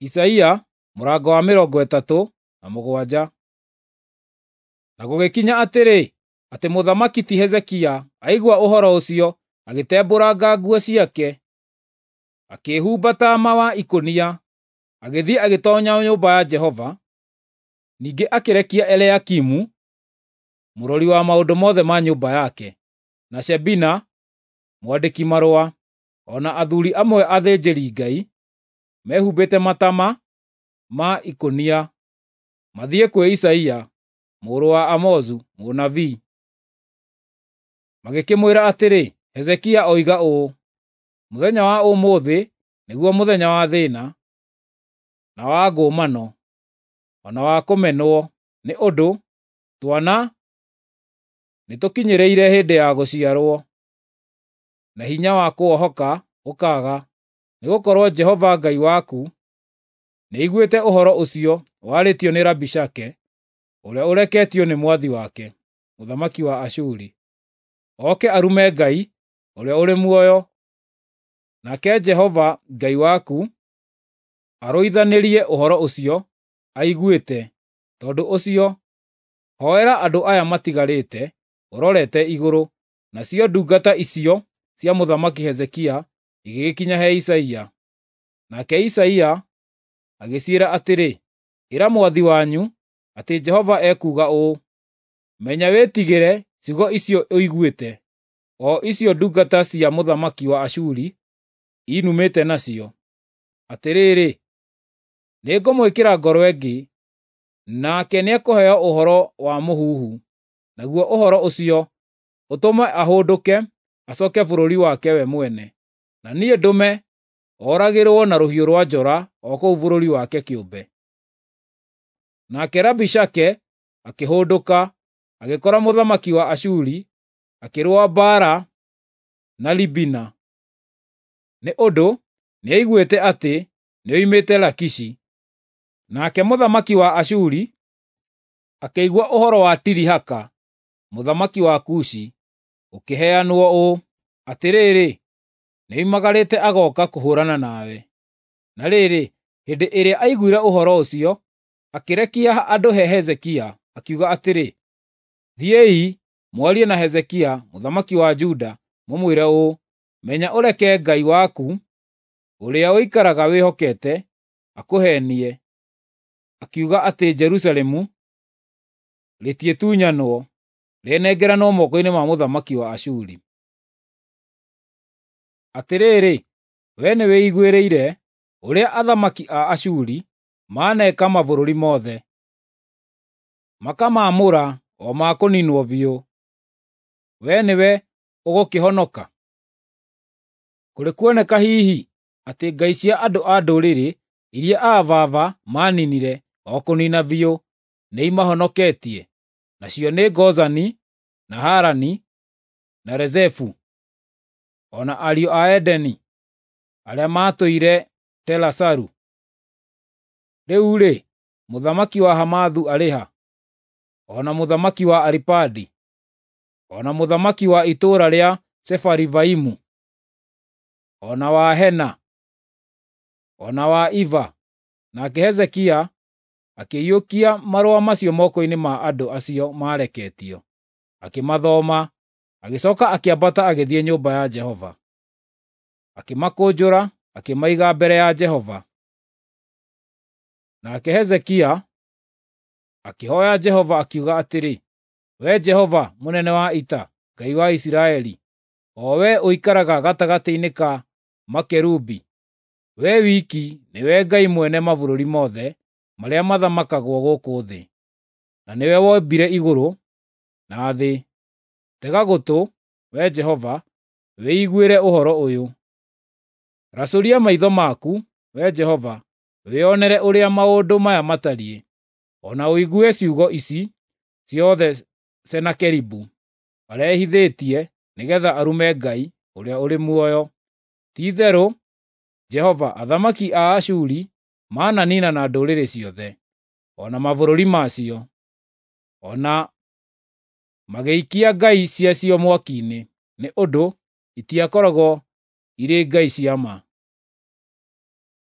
Isaia mũrango wa 37. Na gũgĩkinya atĩrĩ, atĩ mũthamaki ti Hezekia aigua ũhoro ũcio, agĩtembũranga nguo ciake, akĩĩhumba taama wa ikũnia, agĩthiĩ agĩtoonya nyũmba ya Jehova. Ningĩ akĩrekia Eliakimu, mũrori wa maũndũ mothe ma nyũmba yake, na Shebina, mwandĩki-marũa, o na athuuri amwe athĩnjĩri-Ngai, mehumbĩte mataama ma ikũnia, mathiĩ kwĩ Isaia mũrũ wa Amozu mũnabii. Magĩkĩmwĩra atĩrĩ, Hezekia oiga ũũ, “Mũthenya wa ũmũthĩ nĩguo mũthenya wa thĩĩna, na wa ngũmano, o na wa kũmenwo, nĩ ũndũ twana nĩtũkinyĩrĩire hĩndĩ ya gũciarwo, na hinya wa kũohoka ũkaaga, nĩgũkorwo Jehova Ngai waku nĩaiguĩte ũhoro ũcio warĩtio nĩ Rabishake, ũrĩa ũreketio nĩ mwathi wake, mũthamaki wa Ashuri, oke arume Ngai ũrĩa ũrĩ muoyo. Nake Jehova Ngai waku arũithanĩrie ũhoro ũcio aiguĩte. Tondũ ũcio, hoera andũ aya matigarĩte ũrorete igũrũ.” Nacio ndungata icio cia mũthamaki Hezekia igĩgĩkinya he Isaia. Nake Isaia agĩciĩra atĩrĩ, “Ĩra mwathi wanyu atĩ Jehova ekuuga ũũ: Menya wĩtigĩre ciugo icio ũiguĩte, o icio ndungata cia mũthamaki wa Ashuri inumĩte nacio. Atĩrĩrĩ, nĩngũmwĩkĩra ngoro ĩngĩ, nake nĩekũheo ũhoro wa mũhuhu, naguo ũhoro ũcio ũtũme ahũndũke acooke bũrũri wake we mwene, na niĩ ndũme oragĩrwo na rũhiũ rwa njora o kũu bũrũri wake kĩũmbe.” Nake Rabishake akĩhũndũka, agĩkora mũthamaki wa Ashuri akĩrũa mbaara na Libina, nĩ ũndũ nĩaiguĩte atĩ nĩoimĩte Lakishi. Nake mũthamaki wa Ashuri akĩigua ũhoro wa Tirihaka, mũthamaki wa Kushi, ũkĩheanwo ũũ, “Atĩrĩrĩ, nĩoimagarĩte agooka kũhũũrana nawe.” Na rĩrĩ, hĩndĩ ĩrĩa aiguire ũhoro ũcio, akĩrekia andũ he Hezekia, akiuga atĩrĩ, “Thiĩi mwarie na Hezekia mũthamaki wa Juda, mũmwĩre ũũ: Menya ũreke Ngai waku, ũrĩa ũikaraga wĩhokete, akũheenie, akiuga atĩ Jerusalemu rĩtiĩtunyanwo, rĩnengeranwo moko-inĩ ma mũthamaki wa Ashuri. Atĩrĩrĩ, wee nĩwĩiguĩrĩire ũrĩa athamaki a Ashuri maaneka mabũrũri mothe, makamaamũra o ma kũniinwo biũ. Wee nĩwe ũgũkĩhonoka? Kũrĩ kuoneka hihi atĩ ngai cia andũ a ndũrĩrĩ iria aa baba maaninire o kũniina biũ nĩimahonoketie, nacio nĩ Gozani, na Harani, na Rezefu, o na ariũ a Edeni arĩa maatũire Telasaru? Rĩu-rĩ, mũthamaki wa Hamathu arĩ ha? O na mũthamaki wa Aripadi, o na mũthamaki wa itũũra rĩa Sefarivaimu, o na wa Hena, o na wa Iva? Nake Hezekia akĩiyũkia marũa macio moko-inĩ ma andũ acio maareketio, akĩmathoma, agĩcooka akĩambata agĩthiĩ nyũmba ya Jehova. Akĩmakũnjũra, akĩmaiga mbere ya Jehova. Nake Hezekia akĩhooya Jehova akiuga atĩrĩ, “Wee Jehova mũnene wa ita, Ngai wa Isiraeli, o wee ũikaraga gatagatĩ-inĩ ka makerubi, wee wiki nĩwe Ngai mwene mabũrũri mothe marĩa mathamakagwo gũkũ thĩ, na nĩwe wombire igũrũ na thĩ. Tega gũtũ, Wee Jehova, wĩiguĩre ũhoro ũyũ. Racũria maitho maku, Wee Jehova, wĩonere ũrĩa maũndũ maya matariĩ, o na ũigue ciugo ici ciothe Senakeribu arehithĩtie nĩgeetha arume Ngai ũrĩa ũrĩ muoyo. Ti-itherũ, Jehova, athamaki a Ashuri mananiinana ndũrĩrĩ ciothe, o na mabũrũri macio, o na magĩikia ngai ciacio mwaki-inĩ, nĩ ũndũ itiakoragwo irĩ ngai cia ma.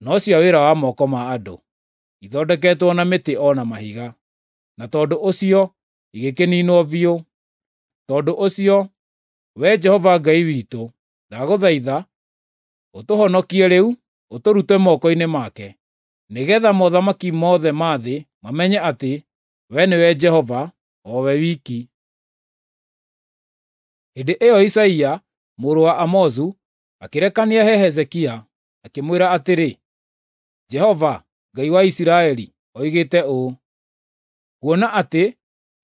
no cia wĩra wa moko ma andũ, ithondeketwo na mĩtĩ o na mahiga, na tondũ ũcio igĩkĩninwo biũ. Tondũ ũcio, Wee Jehova Ngai witũ, ndagũthaitha ũtũhonokie rĩu ũtũrute moko-inĩ make, nĩgeetha mothamaki mothe ma thĩ mamenye atĩ we nĩwe Jehova, o we wiki. Hĩndĩ ĩyo Isaia mũrũ wa Amozu akĩrekania he Hezekia, akĩmwĩra atĩrĩ, Jehova, Ngai wa Isiraeli, oigĩte ũũ: Kuona atĩ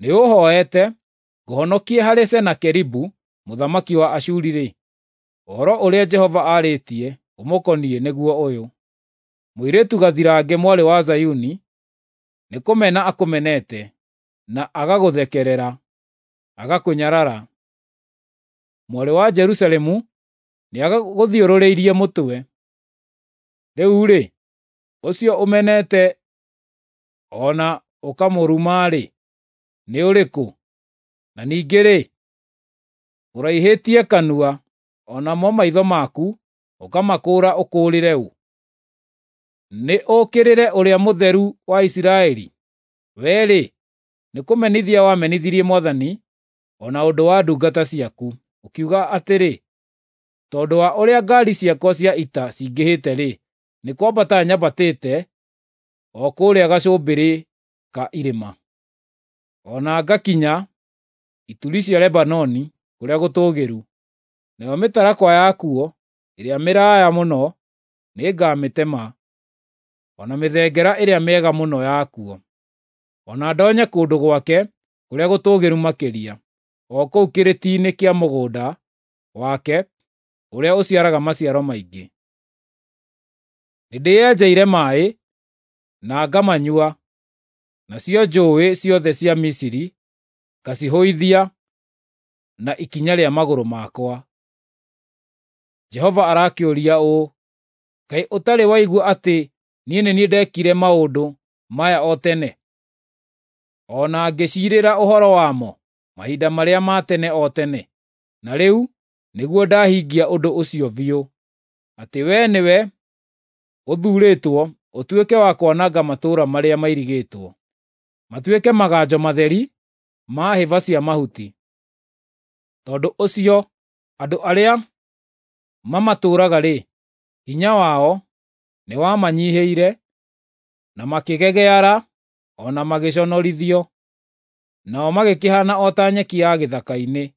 nĩũũhooete ngũhonokie harĩ Senakeribu mũthamaki wa Ashuri-rĩ, ũhoro ũrĩa Jehova aarĩtie ũmũkoniĩ nĩguo ũyũ: Mũirĩtu gathirange mwarĩ wa Zayuni nĩkũmena akũmenete, na agagũthekerera, agakũnyarara. Mwarĩ wa Jerusalemu nĩagũthiũrũrĩirie mũtwe. Rĩu-rĩ, ũcio ũmenete o na ũkamũruma-rĩ, nĩ ũrĩkũ? Na ningĩ-rĩ, ũraihĩtie kanua, o namo maitho maku ũkamakũũra ũkũũrĩre ũ? Nĩ ũũkĩrĩre Ũrĩa Mũtheru wa Isiraeli? Wee-rĩ, nĩkũmenithia wamenithirie Mwathani o na ũndũ wa ndungata ciaku, ũkiuga atĩrĩ, ‘Tondũ wa ũrĩa ngaari ciakwa cia ita cingĩhĩte-rĩ, nĩ kwambata nyambatĩte o kũrĩa gacũmbĩrĩ ka irĩma, o na ngakinya ituri cia Lebanoni kũrĩa gũtũũgĩru. Nayo mĩtarakwa yakuo ĩrĩa mĩraaya mũno nĩngamĩtema, o na mĩthengera ĩrĩa mĩega mũno yakuo, o na ndonye kũndũ gwake kũrĩa gũtũũgĩru makĩria, o kũu kĩrĩti-inĩ kĩa mũgũnda wake ũrĩa ũciaraga maciaro maingĩ. Nĩndĩyenjeire maaĩ na ngamanyua, nacio njũũĩ ciothe cia Misiri ngacihũithia na ikinya rĩa magũrũ makwa.’ Jehova arakĩũria ũũ, ‘Kaĩ ũtarĩ waigua atĩ niĩ nĩ niĩ ndeekire maũndũ maya o tene, o na ngĩciirĩra ũhoro wamo mahinda marĩa ma tene o tene? Na rĩu nĩguo ndahingia ũndũ ũcio biũ, atĩ wee nĩwe ũthuurĩtwo ũtuĩke wa kwananga matũũra marĩa mairigĩtwo, matuĩke maganjo matheri ma hĩba cia mahuti. Tondũ ũcio andũ arĩa mamatũũraga-rĩ, hinya wao nĩwamanyiihĩire, na makĩgegeara o na magĩconorithio. Nao magĩkĩhaana o ta nyeki ya gĩthaka-inĩ,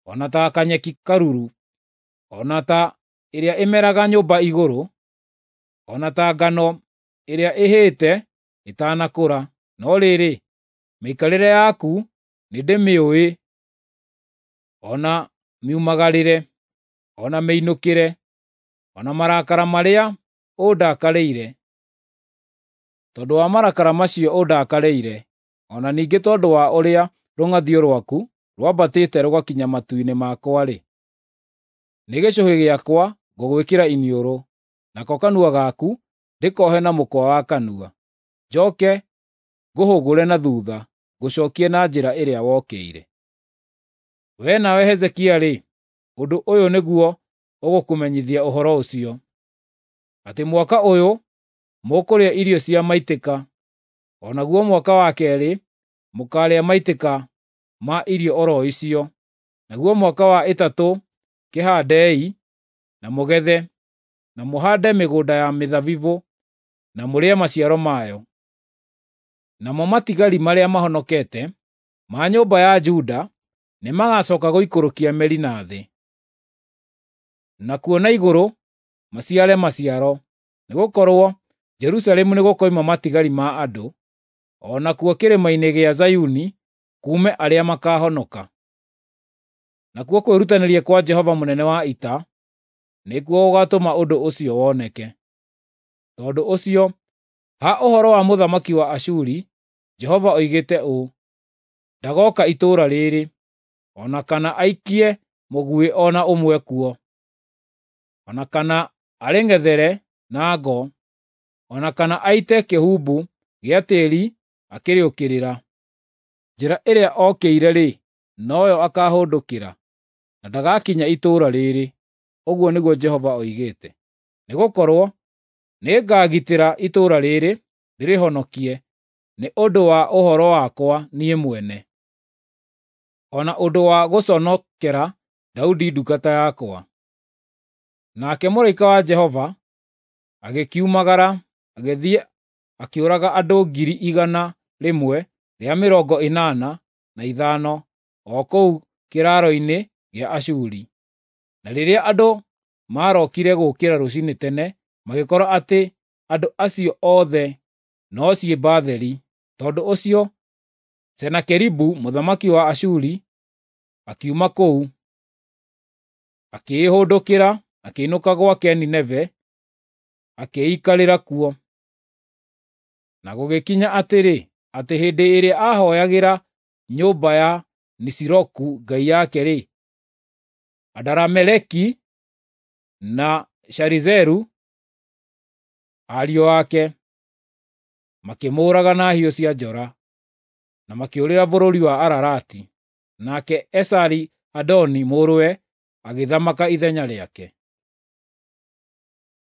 o na ta kanyeki karuru, o na ta ĩrĩa ĩmeraga nyũmba igũrũ, o na ta ngano ĩrĩa ĩhĩĩte ĩtanakũra. No rĩrĩ, mĩikarĩre yaku nĩndĩmĩũĩ, o na miumagarĩre, o na mĩinũkĩre, o na marakara marĩa ũndakarĩire. Tondũ wa marakara macio ũndakarĩire, o na ningĩ tondũ wa ũrĩa rũng'athio rwaku rwambatĩte rũgakinya matu-inĩ makwa-rĩ, nĩ gĩcũhĩ gĩakwa ngũgwĩkĩra iniũrũ, nako kanua gaku ndĩkohe na mũkwa wa kanua, njooke ngũhũgũre na thuutha ngũcookie na njĩra ĩrĩa wokĩire. Wee nawe Hezekia-rĩ, ũndũ ũyũ nĩguo ũgũkũmenyithia ũhoro ũcio, atĩ mwaka ũyũ mũkũrĩa irio cia maitĩka, o naguo mwaka wa keerĩ mũkaarĩa maitĩka ma irio o ro icio, naguo mwaka wa ĩtatũ kĩhaandei na mũgethe, na mũhaande mĩgũnda ya mĩthabibũ na mũrĩe maciaro mayo. Namo matigari marĩa mahonokete ma nyũmba ya Juda nĩmagacooka gũikũrũkia mĩri na thĩ, nakuo na igũrũ maciare maciaro, nĩgũkorwo Jerusalemu nĩgũkoima matigari ma andũ, o nakuo kĩrĩma-inĩ gĩa Zayuni kuume arĩa makaahonoka. Nakuo kwĩrutanĩria kwa Jehova mũnene wa ita nĩkuo gũgaatũma ũndũ ũcio woneke. Tondũ ũcio, ha ũhoro wa mũthamaki wa Ashuri, Jehova oigĩte ũũ: Ndagooka itũũra rĩĩrĩ, o na kana aikie mũguĩ o na ũmwe kuo, o na kana arĩng'ethere na ngo, o na kana aite kĩhumbu gĩa tĩĩri akĩrĩũkĩrĩra. Njĩra ĩrĩa okĩire-rĩ, noyo akaahũndũkĩra, na ndagakinya itũũra rĩĩrĩ,” ũguo nĩguo Jehova oigĩte. Nĩgũkorwo Nĩngagitĩra itũũra rĩrĩ, ndĩrĩhonokie, nĩ ũndũ wa ũhoro wakwa niĩ mwene, o na ũndũ wa gũconokera Daudi ndungata yakwa. Nake mũraika wa Jehova agĩkiumagara, agĩthiĩ akĩũraga andũ 185,000 o kũu kĩraaro-inĩ gĩa Ashuri. Na rĩrĩa andũ maarokire gũũkĩra rũciinĩ tene, magĩkora atĩ andũ acio othe no ciimba theri. Tondũ ũcio Senakeribu mũthamaki wa Ashuri akiuma kũu, akĩĩhũndũkĩra, akĩinũka gwake Nineve, akĩĩikarĩra kuo. Na gũgĩkinya atĩrĩ, atĩ hĩndĩ ĩrĩa aahooyagĩra nyũmba ya Nisiroku ngai yake-rĩ, Adarameleki na Sharizeru, ariũ ake, makĩmũũraga na hiũ cia njora, na makĩũrĩra bũrũri wa Ararati. Nake Esari-Hadoni mũrũwe agĩthamaka ithenya rĩake.